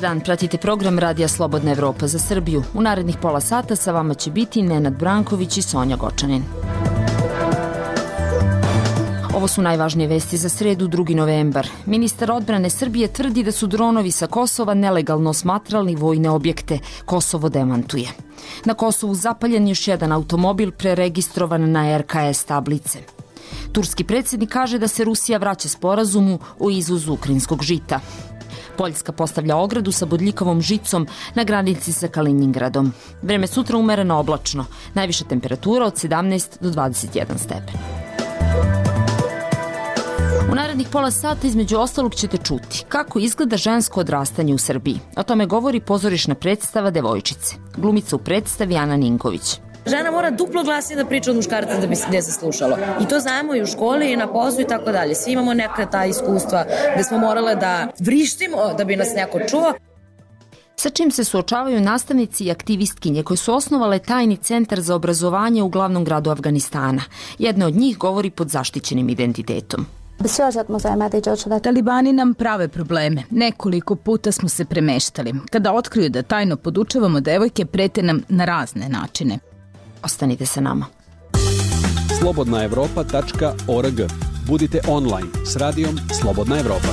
dan, pratite program Radija Slobodna Evropa za Srbiju. U narednih pola sata sa vama će biti Nenad Branković i Sonja Gočanin. Ovo su najvažnije vesti za sredu, 2. novembar. Ministar odbrane Srbije tvrdi da su dronovi sa Kosova nelegalno osmatrali vojne objekte. Kosovo demantuje. Na Kosovu zapaljen još jedan automobil preregistrovan na RKS tablice. Turski predsjednik kaže da se Rusija vraća sporazumu o izvozu ukrajinskog žita. Poljska postavlja ogradu sa bodljikavom žicom na granici sa Kalinjingradom. Vreme sutra umereno oblačno. Najviša temperatura od 17 do 21 stepen. U narednih pola sata između ostalog ćete čuti kako izgleda žensko odrastanje u Srbiji. O tome govori pozorišna predstava Devojčice. Glumica u predstavi Ana Ninković. Žena mora duplo glasnije da priča od muškarca da bi se djeca slušalo. I to znamo i u školi i na poslu i tako dalje. Svi imamo neka ta iskustva gde smo morale da vrištimo da bi nas neko čuo. Sa čim se suočavaju nastavnici i aktivistkinje koji su osnovale tajni centar za obrazovanje u glavnom gradu Afganistana. Jedna od njih govori pod zaštićenim identitetom. Talibani nam prave probleme. Nekoliko puta smo se premeštali. Kada otkriju da tajno podučavamo devojke, prete nam na razne načine. Ostanite sa nama. slobodnaevropa.org. Budite online s radijom Slobodna Evropa.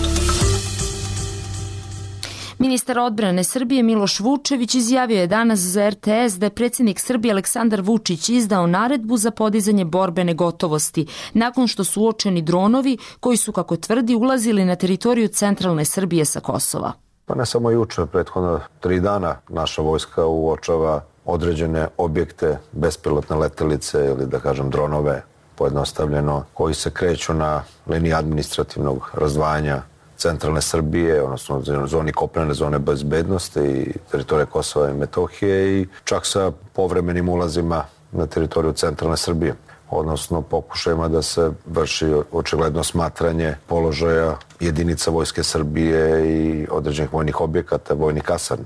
Ministar odbrane Srbije Miloš Vučević izjavio je danas za RTS da je predsjednik Srbije Aleksandar Vučić izdao naredbu za podizanje borbene gotovosti nakon što su uočeni dronovi koji su, kako tvrdi, ulazili na teritoriju centralne Srbije sa Kosova. Pa ne samo juče, prethodno 3 dana naša vojska uočava određene objekte, bespilotne letelice ili da kažem dronove, pojednostavljeno, koji se kreću na liniji administrativnog razdvajanja centralne Srbije, odnosno zoni kopnene zone bezbednosti i teritorije Kosova i Metohije i čak sa povremenim ulazima na teritoriju centralne Srbije, odnosno pokušajima da se vrši očigledno smatranje položaja jedinica Vojske Srbije i određenih vojnih objekata, vojnih kasarni.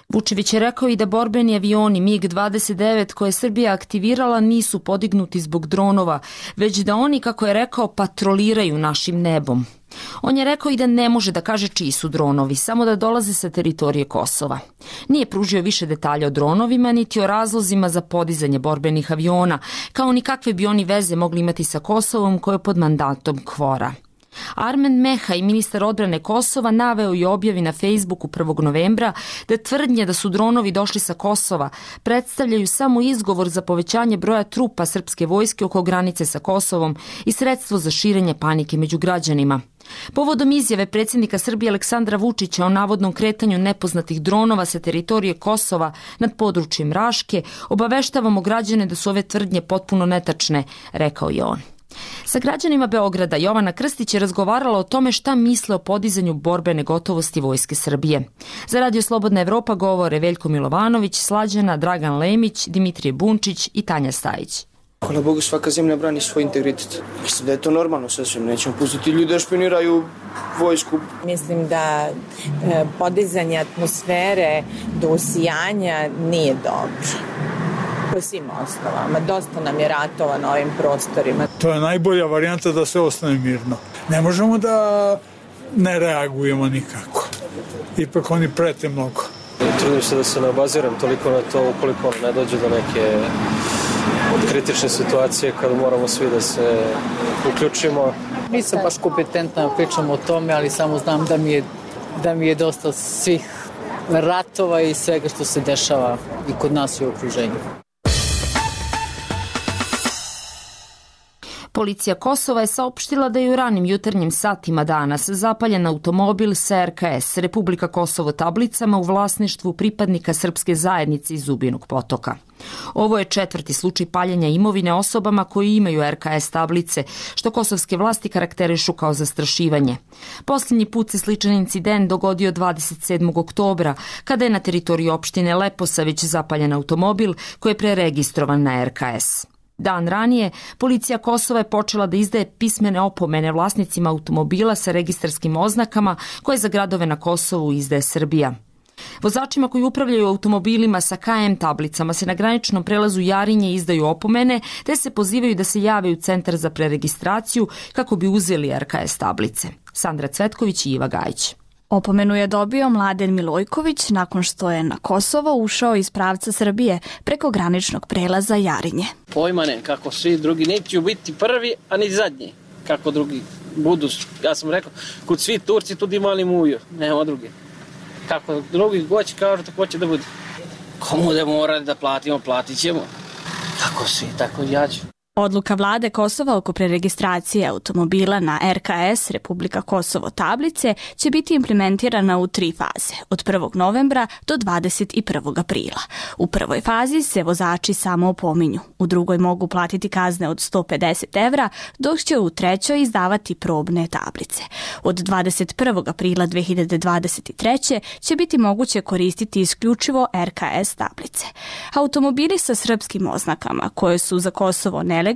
Vučević je rekao i da borbeni avioni MiG-29 koje je Srbija aktivirala nisu podignuti zbog dronova, već da oni, kako je rekao, patroliraju našim nebom. On je rekao i da ne može da kaže čiji su dronovi, samo da dolaze sa teritorije Kosova. Nije pružio više detalja o dronovima, niti o razlozima za podizanje borbenih aviona, kao ni kakve bi oni veze mogli imati sa Kosovom koje je pod mandatom KFOR-a. Armen Mehaj, ministar odbrane Kosova, naveo i objavi na Facebooku 1. novembra da tvrdnje da su dronovi došli sa Kosova predstavljaju samo izgovor za povećanje broja trupa srpske vojske oko granice sa Kosovom i sredstvo za širenje panike među građanima. Povodom izjave predsjednika Srbije Aleksandra Vučića o navodnom kretanju nepoznatih dronova sa teritorije Kosova nad područjem Raške, obaveštavamo građane da su ove tvrdnje potpuno netačne, rekao je on. Sa građanima Beograda Jovana Krstić je razgovarala o tome šta misle o podizanju borbene gotovosti Vojske Srbije. Za Radio Slobodna Evropa govore Veljko Milovanović, Slađana, Dragan Lemić, Dimitrije Bunčić i Tanja Stajić. Hvala Bogu, svaka zemlja brani svoj integritet. Mislim da je to normalno sasvim. Nećemo pustiti ljude da špioniraju vojsku. Mislim da podizanje atmosfere do usijanja nije dobro. Po svim osnovama. Dosta nam je ratova na ovim prostorima. To je najbolja varijanta da sve ostane mirno. Ne možemo da ne reagujemo nikako. Ipak oni prete mnogo. Trudim se da se ne obaziram toliko na to ukoliko ne dođe do neke od kritične situacije kada moramo svi da se uključimo. Nisam baš kompetentna da pričam o tome, ali samo znam da mi je dosta svih ratova i svega što se dešava i kod nas i u okruženju. Policija Kosova je saopštila da je u ranim jutarnjim satima danas zapaljen automobil sa RKS, Republika Kosovo tablicama u vlasništvu pripadnika srpske zajednice iz Zubinog Potoka. Ovo je 4. slučaj paljenja imovine osobama koji imaju RKS tablice, što kosovske vlasti karakterišu kao zastrašivanje. Posljednji put se sličan incident dogodio 27. oktobra, kada je na teritoriji opštine Leposavić zapaljen automobil koji je preregistrovan na RKS. Dan ranije, policija Kosova je počela da izdaje pismene opomene vlasnicima automobila sa registarskim oznakama koje za gradove na Kosovu izdaje Srbija. Vozačima koji upravljaju automobilima sa KM tablicama se na graničnom prelazu Jarinje izdaju opomene te se pozivaju da se jave u centar za preregistraciju kako bi uzeli RKS tablice. Sandra Cvetković i Iva Gajić. Opomenu je dobio Mladen Milojković nakon što je na Kosovo ušao iz pravca Srbije preko graničnog prelaza Jarinje. Pojma ne, kako svi drugi neće biti prvi, a ni zadnji. Kako drugi budu, ja sam rekao, kod svi Turci tu imali muju, nema drugi. Kako drugi goći kažu, tako će da bude. Komu da morali da platimo, platit ćemo. Tako svi, tako i ja ću. Odluka vlade Kosova oko preregistracije automobila na RKS Republika Kosovo tablice će biti implementirana u 3 faze, od 1. novembra do 21. aprila. U prvoj fazi se vozači samo opominju, u drugoj mogu platiti kazne od 150 evra, dok će u trećoj izdavati probne tablice. Od 21. aprila 2023. će biti moguće koristiti isključivo RKS tablice. Automobili sa srpskim oznakama, koje su za Kosovo nelegalne,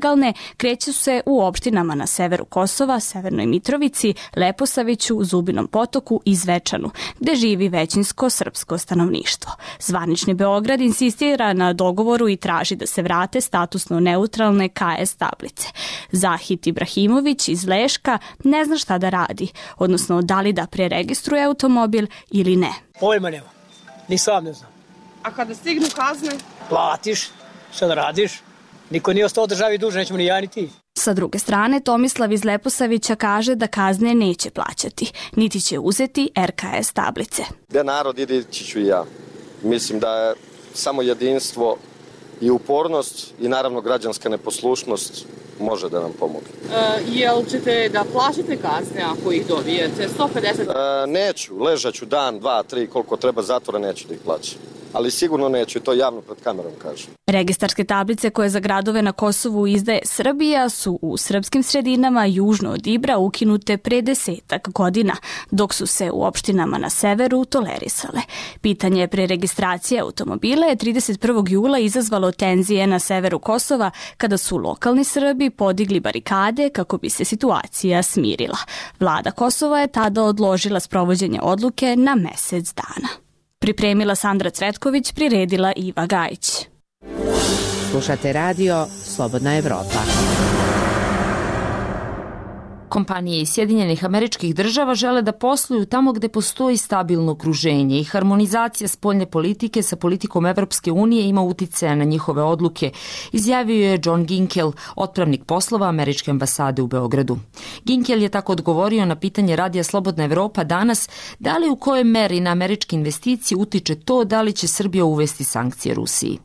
kreću se u opštinama na severu Kosova, Severnoj Mitrovici, Leposaviću, Zubinom Potoku i Zvečanu, gde živi većinsko srpsko stanovništvo. Zvanični Beograd insistira na dogovoru i traži da se vrate statusno neutralne KS tablice. Zahit Ibrahimović iz Leška ne zna šta da radi, odnosno da li da preregistruje automobil ili ne. Pojma nema, ni sam ne znam. A kada stignu kazne? Platiš, šta da radiš? Niko nije ostao državi duže, nećemo ni ja ni ti. Sa druge strane, Tomislav iz Leposavića kaže da kazne neće plaćati, niti će uzeti RKS tablice. Gde narod ide, ići ću i ja. Mislim da je samo jedinstvo i upornost i naravno građanska neposlušnost može da nam pomogne. Jel ćete da plaćate kazne ako ih dobijete? 150? Neću, ležaću dan, 2, 3, koliko treba zatvora, neću da ih plaćam. Ali sigurno neću i to javno pred kamerom kažem. Registarske tablice koje za gradove na Kosovu izdaje Srbija su u srpskim sredinama južno od Ibra ukinute pre 10 godina, dok su se u opštinama na severu tolerisale. Pitanje preregistracije automobila je 31. jula izazvalo tenzije na severu Kosova kada su lokalni Srbi podigli barikade kako bi se situacija smirila. Vlada Kosova je tada odložila sprovođenje odluke na mesec dana. Pripremila Sandra Cvetković, priredila Iva Gajić. Slušate radio Slobodna Evropa. Kompanije iz Sjedinjenih Američkih Država žele da posluju tamo gde postoji stabilno okruženje i harmonizacija spoljne politike sa politikom Evropske unije ima uticaja na njihove odluke, izjavio je John Ginkel, otpravnik poslova Američke ambasade u Beogradu. Ginkel je tako odgovorio na pitanje radija Slobodna Evropa danas da li u kojoj meri na američke investicije utiče to da li će Srbija uvesti sankcije Rusiji.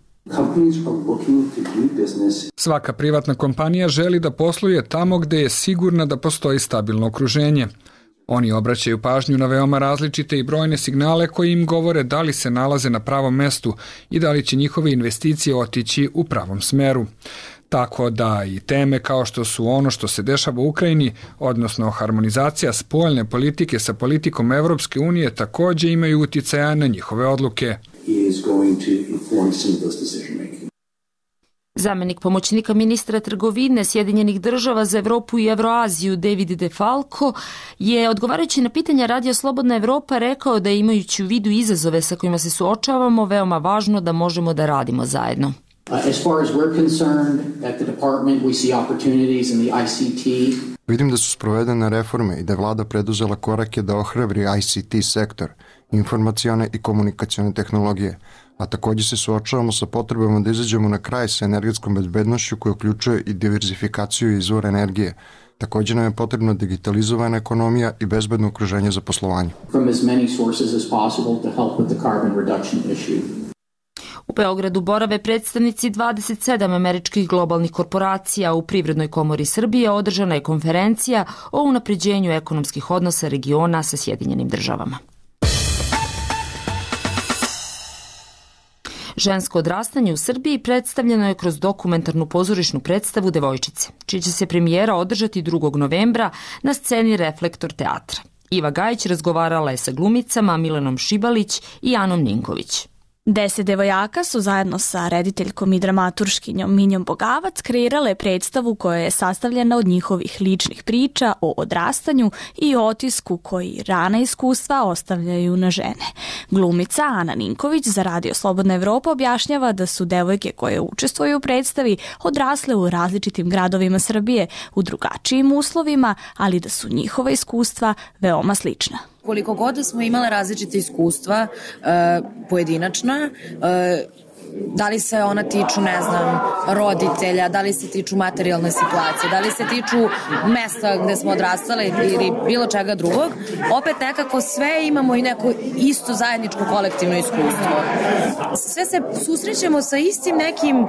Svaka privatna kompanija želi da posluje tamo gde je sigurna da postoji stabilno okruženje. Oni obraćaju pažnju na veoma različite i brojne signale koji im govore da li se nalaze na pravom mestu i da li će njihove investicije otići u pravom smeru. Tako da i teme kao što su ono što se dešava u Ukrajini, odnosno harmonizacija spoljne politike sa politikom Evropske unije, takođe imaju uticaja na njihove odluke. Zamenik pomoćnika ministra trgovine Sjedinjenih Država za Evropu i Evroaziju David DeFalco je, odgovarajući na pitanja radija Slobodna Evropa, rekao da imajući u vidu izazove sa kojima se suočavamo, veoma važno da možemo da radimo zajedno. Vidim da su sprovedene reforme i da je vlada preduzela korake da ohrabri ICT sektor, informacione i komunikacione tehnologije, a takođe se suočavamo sa potrebama da izađemo na kraj sa energetskom bezbednošću koja uključuje i diverzifikaciju izvora energije. Takođe nam je potrebna digitalizovana ekonomija i bezbedno okruženje za poslovanje. U Beogradu borave predstavnici 27 američkih globalnih korporacija. U Privrednoj komori Srbije održana je konferencija o unapređenju ekonomskih odnosa regiona sa Sjedinjenim Državama. Žensko odrastanje u Srbiji predstavljeno je kroz dokumentarnu pozorišnu predstavu Devojčice, čija će se premijera održati 2. novembra na sceni Reflektor teatra. Iva Gajić razgovarala je sa glumicama Milanom Šibalić i Anom Ninković. 10 devojaka su zajedno sa rediteljkom i dramaturškinjom Minjom Bogavac kreirale predstavu koja je sastavljena od njihovih ličnih priča o odrastanju i otisku koji rana iskustva ostavljaju na žene. Glumica Ana Ninković za radio Slobodna Evropa objašnjava da su devojke koje učestvuju u predstavi odrasle u različitim gradovima Srbije u drugačijim uslovima, ali da su njihova iskustva veoma slična. Koliko god da smo imale različite iskustva pojedinačna, da li se ona tiču, ne znam, roditelja, da li se tiču materijalne situacije, da li se tiču mesta gde smo odrastale ili bilo čega drugog, opet nekako sve imamo i neko isto zajedničko kolektivno iskustvo. Sve se susrećemo sa istim nekim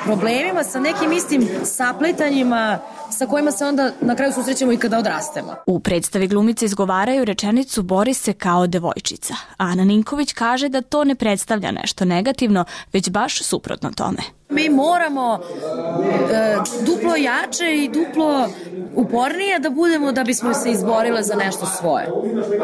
problemima, sa nekim istim saplitanjima sa kojima se onda na kraju susrećemo i kada odrastemo. U predstavi glumice izgovaraju rečenicu "Bori se kao devojčica". Ana Ninković kaže da to ne predstavlja nešto negativno, već baš suprotno tome. Mi moramo duplo jače i duplo upornije da budemo da bismo se izborile za nešto svoje.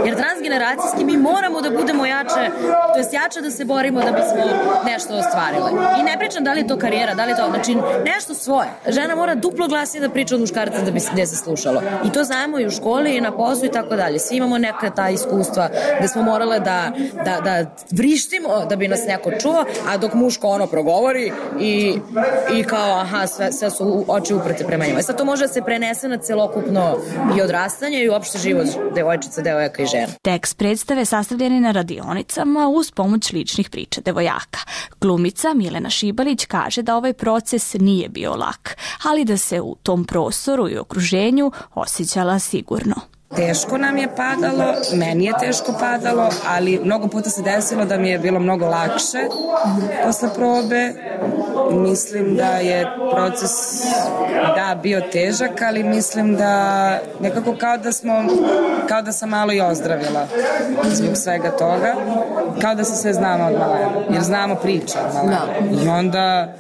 Jer transgeneracijski mi moramo da budemo jače, to jest jače da se borimo da bismo nešto ostvarile. I ne pričam da li je to karijera, da li je to, znači nešto svoje. Žena mora duplo glasnije da priča od muškarca da bi se se slušalo. I to znamo i u školi i na poslu i tako dalje. Svi imamo neka ta iskustva gde smo morale da vrištimo da bi nas neko čuo, a dok muško ono progovori i kao aha, sve su oči uprte prema njima. Sad to može da se prenese na celokupno i odrastanje i uopšte život devojčica, devojaka i žena. Tekst predstave sastavljen je na radionicama uz pomoć ličnih priča devojaka. Glumica Milena Šibalić kaže da ovaj proces nije bio lak, ali da se u tom prostoru i okruženju osjećala sigurno. Teško nam je padalo, meni je teško padalo, ali mnogo puta se desilo da mi je bilo mnogo lakše posle probe. Mislim da je proces bio težak, ali mislim da nekako kao da sam malo i ozdravila zbog svega toga, kao da se sve znamo od malena, jer znamo priče od malena. I onda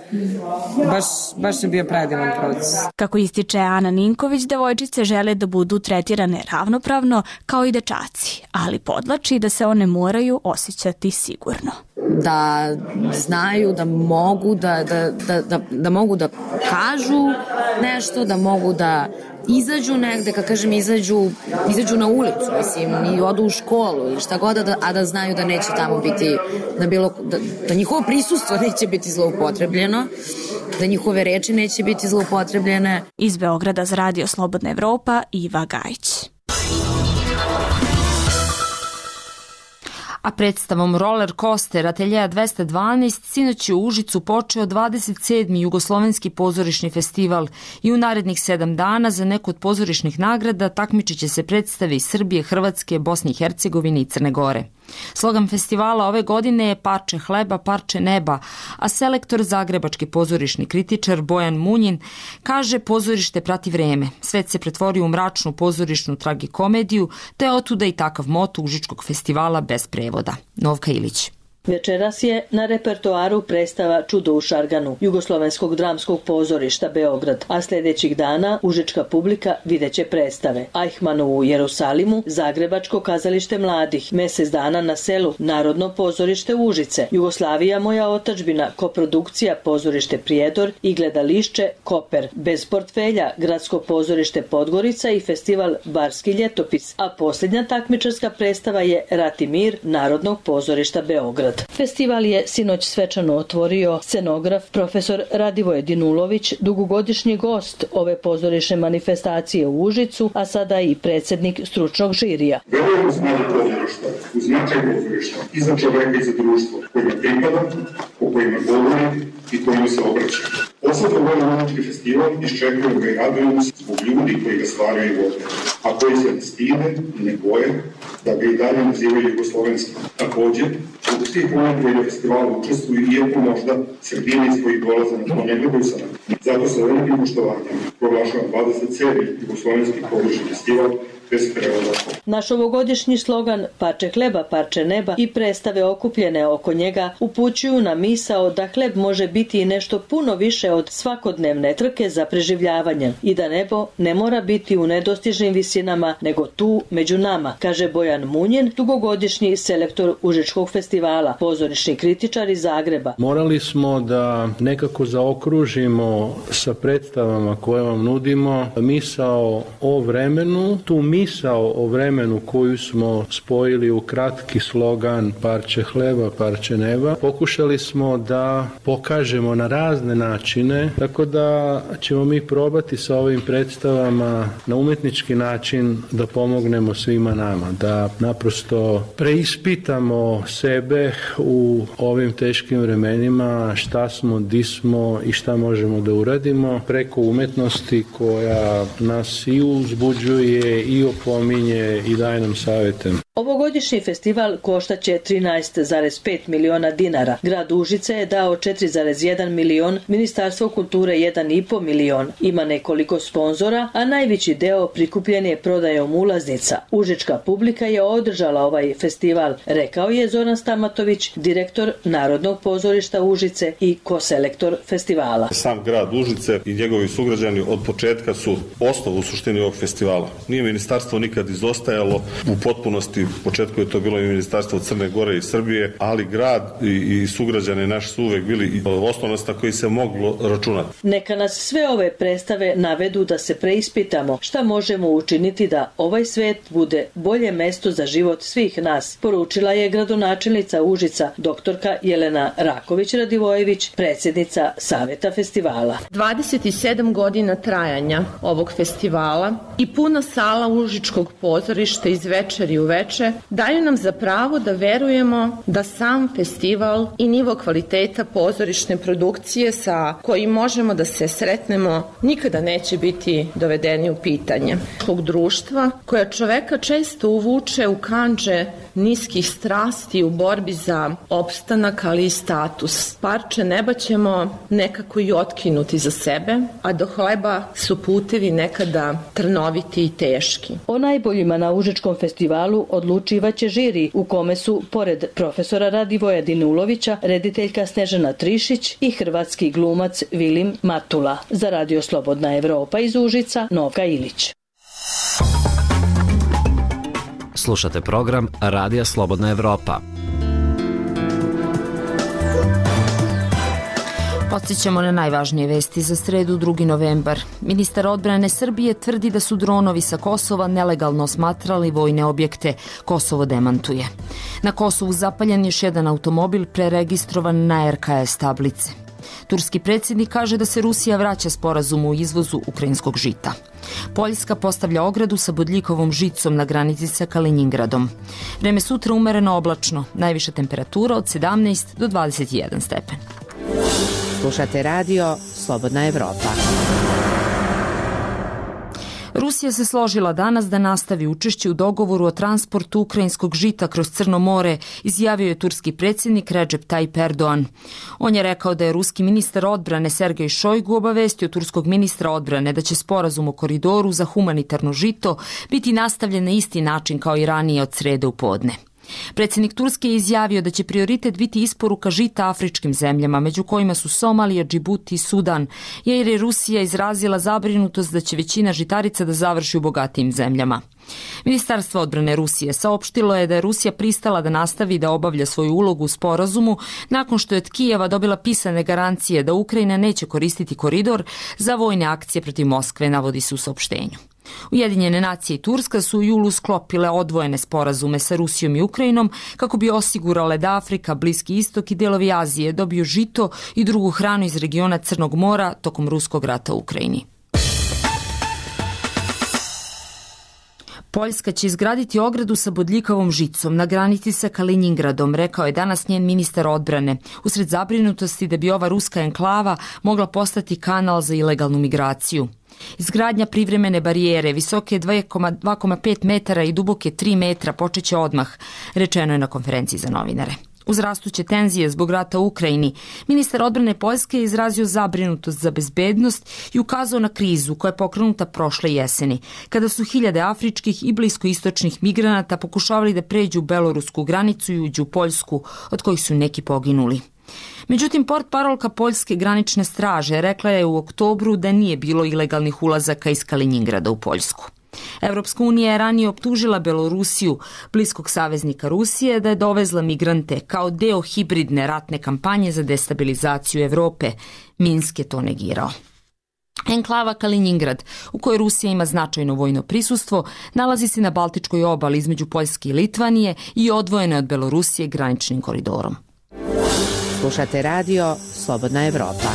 baš je bio predivan proces. Kako ističe Ana Ninković, devojčice žele da budu tretirane ravnopravno kao i dečaci, ali podlači da se one moraju osjećati sigurno. Da znaju, da mogu da mogu da kažu nešto, da mogu da izađu negde, kad kažem izađu na ulicu, mislim, i odu u školu ili šta god, a da znaju da neće tamo biti, da njihovo prisustvo neće biti zloupotrebljeno, da njihove reči neće biti zloupotrebljene. Iz Beograda za Radio Slobodna Evropa, Iva Gajić. A predstavom Roller Coaster Ateljeja 212 sinoć je u Užicu počeo 27. Jugoslovenski pozorišni festival i u narednih 7 dana za neku od pozorišnih nagrada takmičit će se predstave iz Srbije, Hrvatske, Bosne i Hercegovine i Crne Gore. Slogan festivala ove godine je "Parče hleba, parče neba", a selektor zagrebački pozorišni kritičar Bojan Munjin kaže pozorište prati vreme. Svet se pretvorio u mračnu pozorišnu tragikomediju, te otuda i takav moto Užičkog festivala bez prevoda. Novka Ilić. Večeras je na repertoaru predstava Čudo u Šarganu Jugoslovenskog dramskog pozorišta Beograd, a sljedećih dana užička publika videće predstave Ajhmanu u Jerusalimu, Zagrebačko kazalište mladih, Mesec dana na selu, Narodno pozorište Užice, Jugoslavija moja otadžbina, koprodukcija Pozorište Prijedor i gledališće Koper, Bez portfelja, Gradsko pozorište Podgorica i festival Barski ljetopis, a posljednja takmičarska predstava je Rat i mir Narodnog pozorišta Beograd. Festival je sinoć svečano otvorio scenograf profesor Radivoje Dinulović, dugogodišnji gost ove pozorišne manifestacije u Užicu, a sada i predsjednik stručnog žirija. Verujem u snagu pozorišta, u značaj pozorišta i za čoveka i za društvo kojima pripada, o kojima govori i kojima se obraća. Posledno ovaj umetnički festival iščekujemo ga i radujemo se zbog ljudi koji ga stvaraju i vode, a koji se ne stide i ne boje da ga i dalje nazivaju jugoslovenskim. Također, zbog svih onih koji na festivalu učestvuju, iako možda sredine iz kojih dolaze na to ne gledaju sa nama. Zato sa velikim poštovanjem proglašavam 27. jugoslovenski pozorišni festival bez prevoda. Naš ovogodišnji slogan "Parče hleba, parče neba" i predstave okupljene oko njega upućuju na misao da hleb može biti i nešto puno više od svakodnevne trke za preživljavanje i da nebo ne mora biti u nedostižnim visinama, nego tu među nama, kaže Bojan Munjin, dugogodišnji selektor Užičkog festivala, pozorišni kritičar iz Zagreba. Morali smo da nekako zaokružimo sa predstavama koje vam nudimo misao o vremenu, tu misao o vremenu vremenu koju smo spojili u kratki slogan parče hleba, parče neba, pokušali smo da pokažemo na razne načine, tako da ćemo mi probati sa ovim predstavama na umetnički način da pomognemo svima nama, da naprosto preispitamo sebe u ovim teškim vremenima, šta smo, di smo i šta možemo da uradimo preko umetnosti koja nas i uzbuđuje i opominje i daje nam savjete. Ovogodišnji festival koštaće 13,5 miliona dinara. Grad Užice je dao 4,1 milion, Ministarstvo kulture 1,5 milion. Ima nekoliko sponzora, a najveći deo prikupljen je prodajom ulaznica. Užička publika je održala ovaj festival, rekao je Zoran Stamatović, direktor Narodnog pozorišta Užice i koselektor festivala. Sam grad Užice i njegovi sugrađani od početka su osnov u suštini ovog festivala. Nije ministarstvo nikad izostajalo u potpunosti. U početku je to bilo i ministarstvo Crne Gore i Srbije, ali grad i sugrađani naši su uvek bili osnovnost na koji se moglo računati. Neka nas sve ove predstave navedu da se preispitamo šta možemo učiniti da ovaj svet bude bolje mesto za život svih nas, poručila je gradonačelnica Užica, doktorka Jelena Raković-Radivojević, predsjednica Saveta festivala. 27 godina trajanja ovog festivala i puna sala Užičkog pozorišta iz večeri u večer daju nam za pravo da verujemo da sam festival i nivo kvaliteta pozorišne produkcije sa kojim možemo da se sretnemo nikada neće biti dovedeni u pitanje. Tog društva koja čoveka često uvuče u kandže niskih strasti u borbi za opstanak, ali i status. Parče neba ćemo nekako i otkinuti za sebe, a do hleba su putevi nekada trnoviti i teški. O najboljima na Užičkom festivalu odlučivaće žiri u kome su, pored profesora Radivoja Dinulovića, rediteljka Snežana Trišić i hrvatski glumac Vilim Matula. Za Radio Slobodna Evropa iz Užica, Novka Ilić. Slušate program Radija Slobodna Evropa. Podsjećamo na najvažnije vesti za sredu 2. novembar. Ministar odbrane Srbije tvrdi da su dronovi sa Kosova nelegalno smatrali vojne objekte. Kosovo demantuje. Na Kosovu zapaljen još jedan automobil preregistrovan na RKS tablice. Turski predsjednik kaže da se Rusija vraća sporazumu o izvozu ukrajinskog žita. Poljska postavlja ogradu sa bodljikovom žicom na granici sa Kalinjingradom. Vreme sutra umereno oblačno, najviša temperatura od 17 do 21 stepen. Slušate radio Slobodna Evropa. Rusija se složila danas da nastavi učešće u dogovoru o transportu ukrajinskog žita kroz Crno more, izjavio je turski predsjednik Recep Tayyip Erdogan. On je rekao da je ruski ministar odbrane Sergej Šojgu obavestio turskog ministra odbrane da će sporazum o koridoru za humanitarno žito biti nastavljen na isti način kao i ranije od srede u podne. Predsjednik Turske je izjavio da će prioritet biti isporuka žita afričkim zemljama, među kojima su Somalija, Džibuti i Sudan, jer je Rusija izrazila zabrinutost da će većina žitarica da završi u bogatijim zemljama. Ministarstvo odbrane Rusije saopštilo je da je Rusija pristala da nastavi da obavlja svoju ulogu u sporazumu nakon što je od Kijeva dobila pisane garancije da Ukrajina neće koristiti koridor za vojne akcije protiv Moskve, navodi se u saopštenju. Ujedinjene nacije i Turska su u julu sklopile odvojene sporazume sa Rusijom i Ukrajinom kako bi osigurale da Afrika, Bliski istok i delovi Azije dobiju žito i drugu hranu iz regiona Crnog mora tokom ruskog rata u Ukrajini. Poljska će izgraditi ogradu sa bodljikavom žicom na granici sa Kalinjingradom, rekao je danas njen ministar odbrane, usred zabrinutosti da bi ova ruska enklava mogla postati kanal za ilegalnu migraciju. Izgradnja privremene barijere visoke 2,5 metara i duboke 3 metra počeće odmah, rečeno je na konferenciji za novinare. Uz rastuće tenzije zbog rata u Ukrajini, ministar odbrane Poljske je izrazio zabrinutost za bezbednost i ukazao na krizu koja je pokrenuta prošle jeseni, kada su hiljade afričkih i bliskoistočnih migranata pokušavali da pređu belorusku granicu i uđu u Poljsku, od kojih su neki poginuli. Međutim, portparolka Poljske granične straže rekla je u oktobru da nije bilo ilegalnih ulazaka iz Kalinjingrada u Poljsku. Evropska unija je ranije optužila Belorusiju, bliskog saveznika Rusije, da je dovezla migrante kao deo hibridne ratne kampanje za destabilizaciju Evrope. Minsk je to negirao. Enklava Kaliningrad, u kojoj Rusija ima značajno vojno prisustvo, nalazi se na Baltičkoj obali između Poljske i Litvanije i odvojena od Belorusije graničnim koridorom. Slušate radio Slobodna Evropa.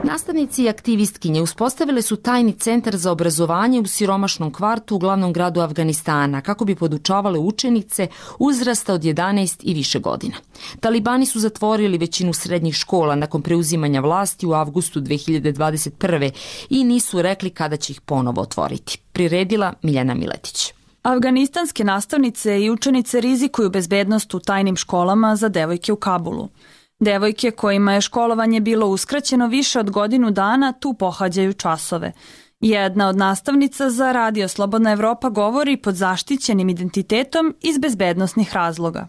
Nastavnici i aktivistkinje uspostavile su tajni centar za obrazovanje u siromašnom kvartu u glavnom gradu Afganistana kako bi podučavale učenice uzrasta od 11 i više godina. Talibani su zatvorili većinu srednjih škola nakon preuzimanja vlasti u avgustu 2021. i nisu rekli kada će ih ponovo otvoriti. Priredila Miljana Miletić. Afganistanske nastavnice i učenice rizikuju bezbednost u tajnim školama za devojke u Kabulu. Devojke kojima je školovanje bilo uskraćeno više od godinu dana tu pohađaju časove. Jedna od nastavnica za Radio Slobodna Evropa govori pod zaštićenim identitetom iz bezbednosnih razloga.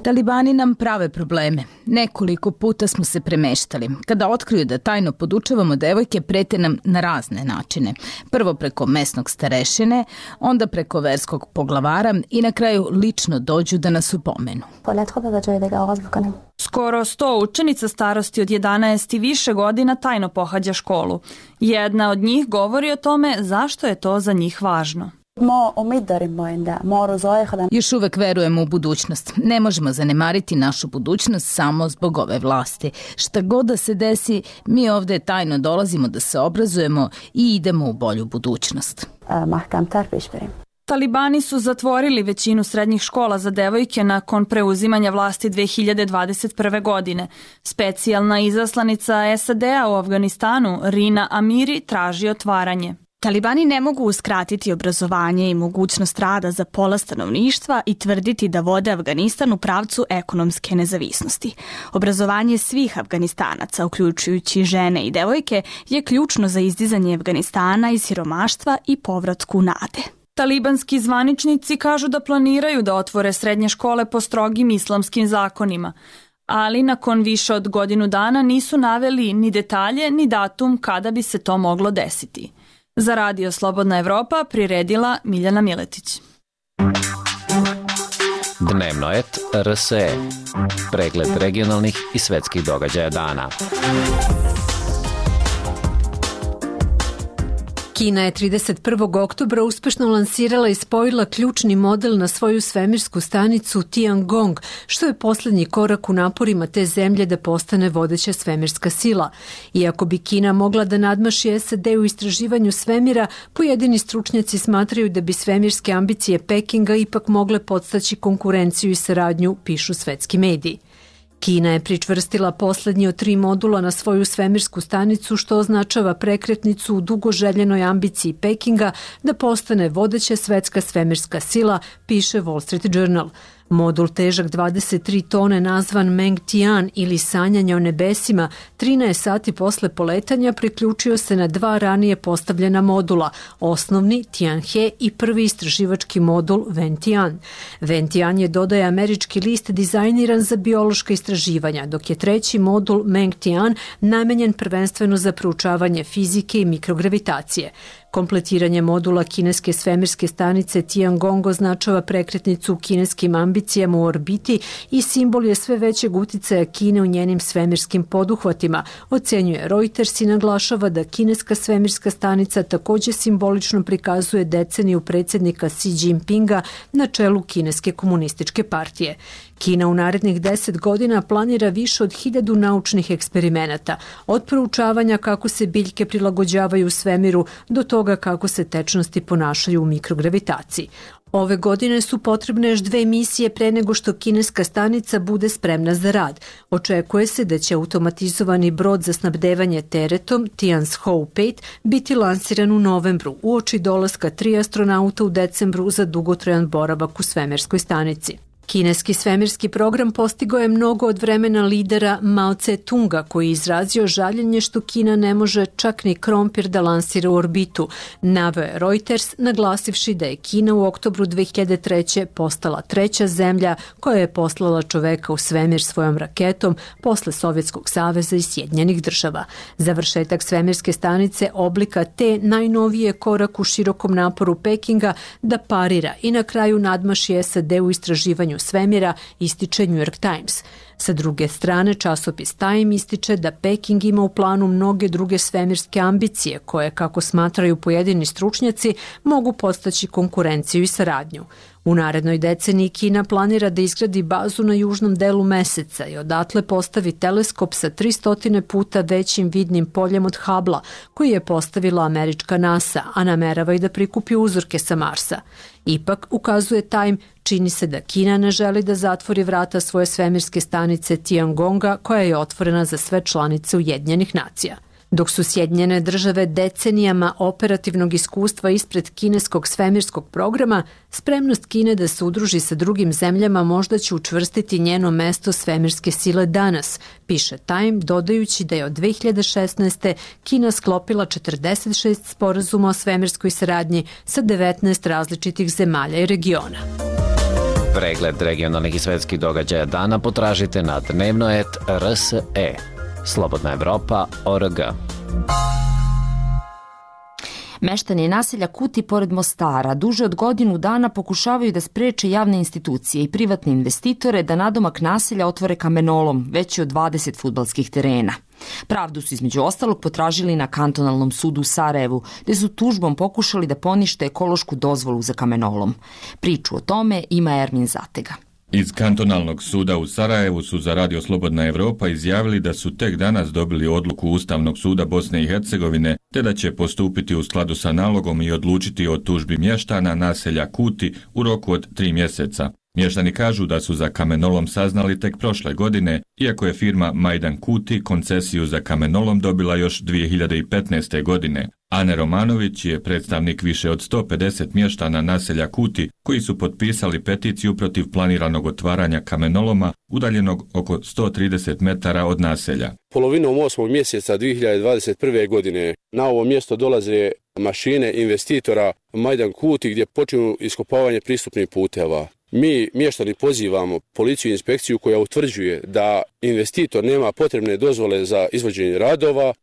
Talibani nam prave probleme. Nekoliko puta smo se premeštali. Kada otkriju da tajno podučavamo devojke, prete nam na razne načine. Prvo preko mesnog starešine, onda preko verskog poglavara i na kraju lično dođu da nas upomenu. Skoro 100 učenica starosti od 11 i više godina tajno pohađa školu. Jedna od njih govori o tome zašto je to za njih važno. Još uvek verujemo u budućnost. Ne možemo zanemariti našu budućnost samo zbog ove vlasti. Šta god da se desi, mi ovde tajno dolazimo da se obrazujemo i idemo u bolju budućnost. Talibani su zatvorili većinu srednjih škola za devojke nakon preuzimanja vlasti 2021. godine. Specijalna izaslanica SAD-a u Afganistanu, Rina Amiri, traži otvaranje. Talibani ne mogu uskratiti obrazovanje i mogućnost rada za pola stanovništva i tvrditi da vode Afganistan u pravcu ekonomske nezavisnosti. Obrazovanje svih Afganistanaca, uključujući žene i devojke, je ključno za izdizanje Afganistana iz siromaštva i povratku nade. Talibanski zvaničnici kažu da planiraju da otvore srednje škole po strogim islamskim zakonima, ali nakon više od godinu dana nisu naveli ni detalje ni datum kada bi se to moglo desiti. Za Radio Slobodna Evropa priredila Miljana Miletić. Dnevnoet RSE. Pregled regionalnih i svetskih događaja dana. Kina je 31. oktobra uspešno lansirala i spojila ključni model na svoju svemirsku stanicu Tiangong, što je poslednji korak u naporima te zemlje da postane vodeća svemirska sila. Iako bi Kina mogla da nadmaši SAD u istraživanju svemira, pojedini stručnjaci smatraju da bi svemirske ambicije Pekinga ipak mogle podstaći konkurenciju i saradnju, pišu svetski mediji. Kina je pričvrstila poslednji od 3 modula na svoju svemirsku stanicu, što označava prekretnicu u dugo željenoj ambiciji Pekinga da postane vodeća svetska svemirska sila, piše Wall Street Journal. Modul težak 23 tone nazvan Meng Tian ili sanjanje o nebesima 13 sati posle poletanja priključio se na 2 ranije postavljena modula, osnovni Tianhe i prvi istraživački modul Wentian. Wentian je, dodaje američki list, dizajniran za biološka istraživanja, dok je treći modul Meng Tian namenjen prvenstveno za proučavanje fizike i mikrogravitacije. Kompletiranje modula kineske svemirske stanice Tiangong označava prekretnicu u kineskim ambicijama u orbiti i simbol je sve većeg uticaja Kine u njenim svemirskim poduhvatima, ocenjuje Reuters i naglašava da kineska svemirska stanica takođe simbolično prikazuje deceniju predsjednika Xi Jinpinga na čelu Kineske komunističke partije. Kina u narednih 10 godina planira više od 1000 naučnih eksperimenata, od proučavanja kako se biljke prilagođavaju svemiru do toga kako se tečnosti ponašaju u mikrogravitaciji. Ove godine su potrebne još 2 misije pre nego što kineska stanica bude spremna za rad. Očekuje se da će automatizovani brod za snabdevanje teretom Tianzhou 5 biti lansiran u novembru, uoči dolaska 3 astronauta u decembru za dugotrajan boravak u svemirskoj stanici. Kineski svemirski program postigao je mnogo od vremena lidera Mao Tse-tunga, koji je izrazio žaljenje što Kina ne može čak ni krompir da lansira u orbitu, naveo je Reuters, naglasivši da je Kina u oktobru 2003. postala 3. zemlja koja je poslala čoveka u svemir svojom raketom posle Sovjetskog saveza i Sjedinjenih država. Završetak svemirske stanice oblika te najnovije korak u širokom naporu Pekinga da parira i na kraju nadmaši SAD u istraživanju svemira, ističe New York Times. Sa druge strane, časopis Time ističe da Peking ima u planu mnoge druge svemirske ambicije koje, kako smatraju pojedini stručnjaci, mogu podstaći konkurenciju i saradnju. U narednoj deceniji Kina planira da izgradi bazu na južnom delu Meseca i odatle postavi teleskop sa 300 puta većim vidnim poljem od Hubble-a, koji je postavila američka NASA, a namerava i da prikupi uzorke sa Marsa. Ipak, ukazuje Time, čini se da Kina ne želi da zatvori vrata svoje svemirske stanice Tiangonga, koja je otvorena za sve članice Ujedinjenih nacija. Dok su Sjedinjene države decenijama operativnog iskustva ispred kineskog svemirskog programa, spremnost Kine da se udruži sa drugim zemljama možda će učvrstiti njeno mesto svemirske sile danas, piše Time, dodajući da je od 2016. Kina sklopila 46 sporazuma o svemirskoj saradnji sa 19 različitih zemalja i regiona. Pregled regionalnih i svetskih događaja dana potražite na dnevnoet.rse. Slobodna Evropa.org. Meštani naselja Kuti pored Mostara duže od godinu dana pokušavaju da spreče javne institucije i privatne investitore da nadomak naselja otvore kamenolom, veći od 20 fudbalskih terena. Pravdu su između ostalog potražili na kantonalnom sudu u Sarajevu, gde su tužbom pokušali da ponište ekološku dozvolu za kamenolom. Priču o tome ima Ermin Zatega. Iz kantonalnog suda u Sarajevu su za Radio Slobodna Evropa izjavili da su tek danas dobili odluku Ustavnog suda Bosne i Hercegovine, te da će postupiti u skladu sa nalogom i odlučiti o tužbi mještana naselja Kuti u roku od 3 mjeseca. Mještani kažu da su za kamenolom saznali tek prošle godine, iako je firma Majdan Kuti koncesiju za kamenolom dobila još 2015. godine. Ane Romanović je predstavnik više od 150 mještana naselja Kuti koji su potpisali peticiju protiv planiranog otvaranja kamenoloma udaljenog oko 130 metara od naselja. Polovinom 8. mjeseca 2021. godine na ovo mjesto dolaze mašine investitora Majdan Kuti gdje počinju iskopavanje pristupnih puteva. Mi, mještani, pozivamo policiju i inspekciju koja utvrđuje da investitor nema potrebne dozvole za izvođenje radova,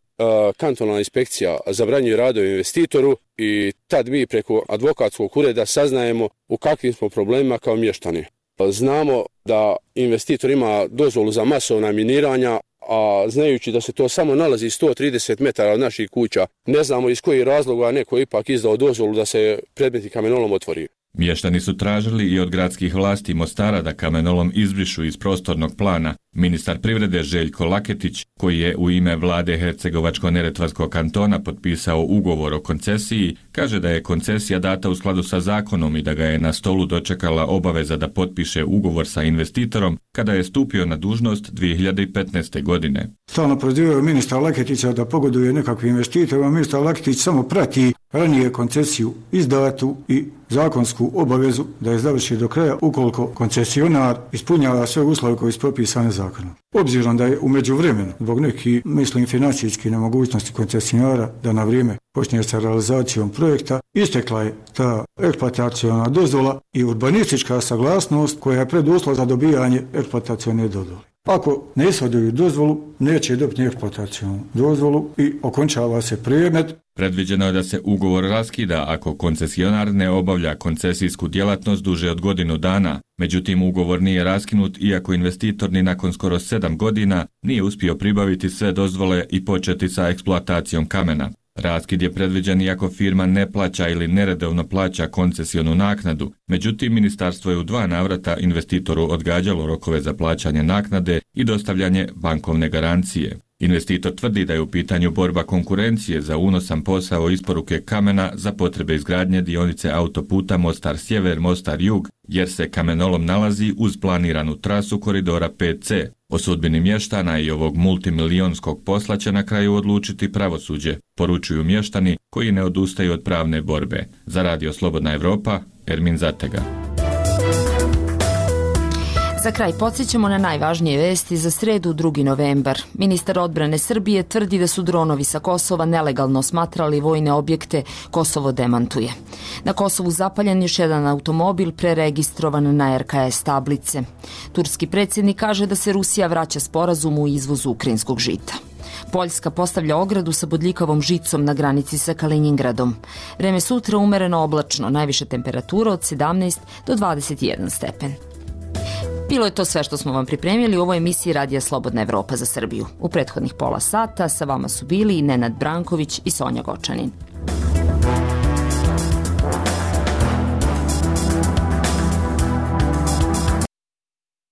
kantonalna inspekcija zabranjuje radove investitoru i tad mi preko advokatskog ureda saznajemo u kakvim smo problemima kao mještani. Znamo da investitor ima dozvolu za masovna miniranja, a znajući da se to samo nalazi 130 metara od naših kuća, ne znamo iz kojih razloga neko ipak izdao dozvolu da se predmeti kamenolom otvori. Mještani su tražili i od gradskih vlasti Mostara da kamenolom izbrišu iz prostornog plana. Ministar privrede Željko Laketić, koji je u ime vlade Hercegovačko-neretvanskog kantona potpisao ugovor o koncesiji, kaže da je koncesija data u skladu sa zakonom i da ga je na stolu dočekala obaveza da potpiše ugovor sa investitorom kada je stupio na dužnost 2015. godine. Stalno prozivaju ministra Laketića da pogoduje nekakvim investitorima. Ministar Laketić samo prati ranije koncesiju izdatu i zakonsku obavezu da je završi do kraja ukoliko koncesionar ispunjava sve uslove koji su propisane zakonom. Obzirom da je u međuvremenu, zbog nekih, mislim, financijskih nemogućnosti koncesionara da na vrijeme počne sa realizacijom projekta, istekla je ta eksploataciona dozvola i urbanistička saglasnost koja je preduslov za dobijanje eksploatacione dozvole. Ako ne ishoduju dozvolu, neće dobiti eksploatacionu dozvolu i okončava se predmet. Predviđeno je da se ugovor raskida ako koncesionar ne obavlja koncesijsku djelatnost duže od godinu dana. Međutim, ugovor nije raskinut iako investitor ni nakon skoro 7 godina nije uspio pribaviti sve dozvole i početi sa eksploatacijom kamena. Raskid je predviđen iako firma ne plaća ili neredovno plaća koncesionu naknadu. Međutim, ministarstvo je u 2 navrata investitoru odgađalo rokove za plaćanje naknade i dostavljanje bankovne garancije. Investitor tvrdi da je u pitanju borba konkurencije za unosan posao isporuke kamena za potrebe izgradnje dionice autoputa Mostar-Sjever, Mostar-Jug, jer se kamenolom nalazi uz planiranu trasu koridora 5C. O sudbini mještana i ovog multimilijonskog posla će na kraju odlučiti pravosuđe, poručuju mještani koji ne odustaju od pravne borbe. Za Radio Slobodna Evropa, Ermin Zatega. Za kraj podsjećamo na najvažnije vesti za sredu 2. novembar. Ministar odbrane Srbije tvrdi da su dronovi sa Kosova nelegalno smatrali vojne objekte, Kosovo demantuje. Na Kosovu zapaljen još jedan automobil preregistrovan na RKS tablice. Turski predsjednik kaže da se Rusija vraća sporazumu u izvozu ukrajinskog žita. Poljska postavlja ogradu sa bodljikavom žicom na granici sa Kalinjingradom. Vreme sutra umereno oblačno, najviša temperatura od 17 do 21 stepen. Bilo je to sve što smo vam pripremili u ovoj emisiji Radija Slobodna Evropa za Srbiju. U prethodnih pola sata sa vama su bili i Nenad Branković i Sonja Gočanin.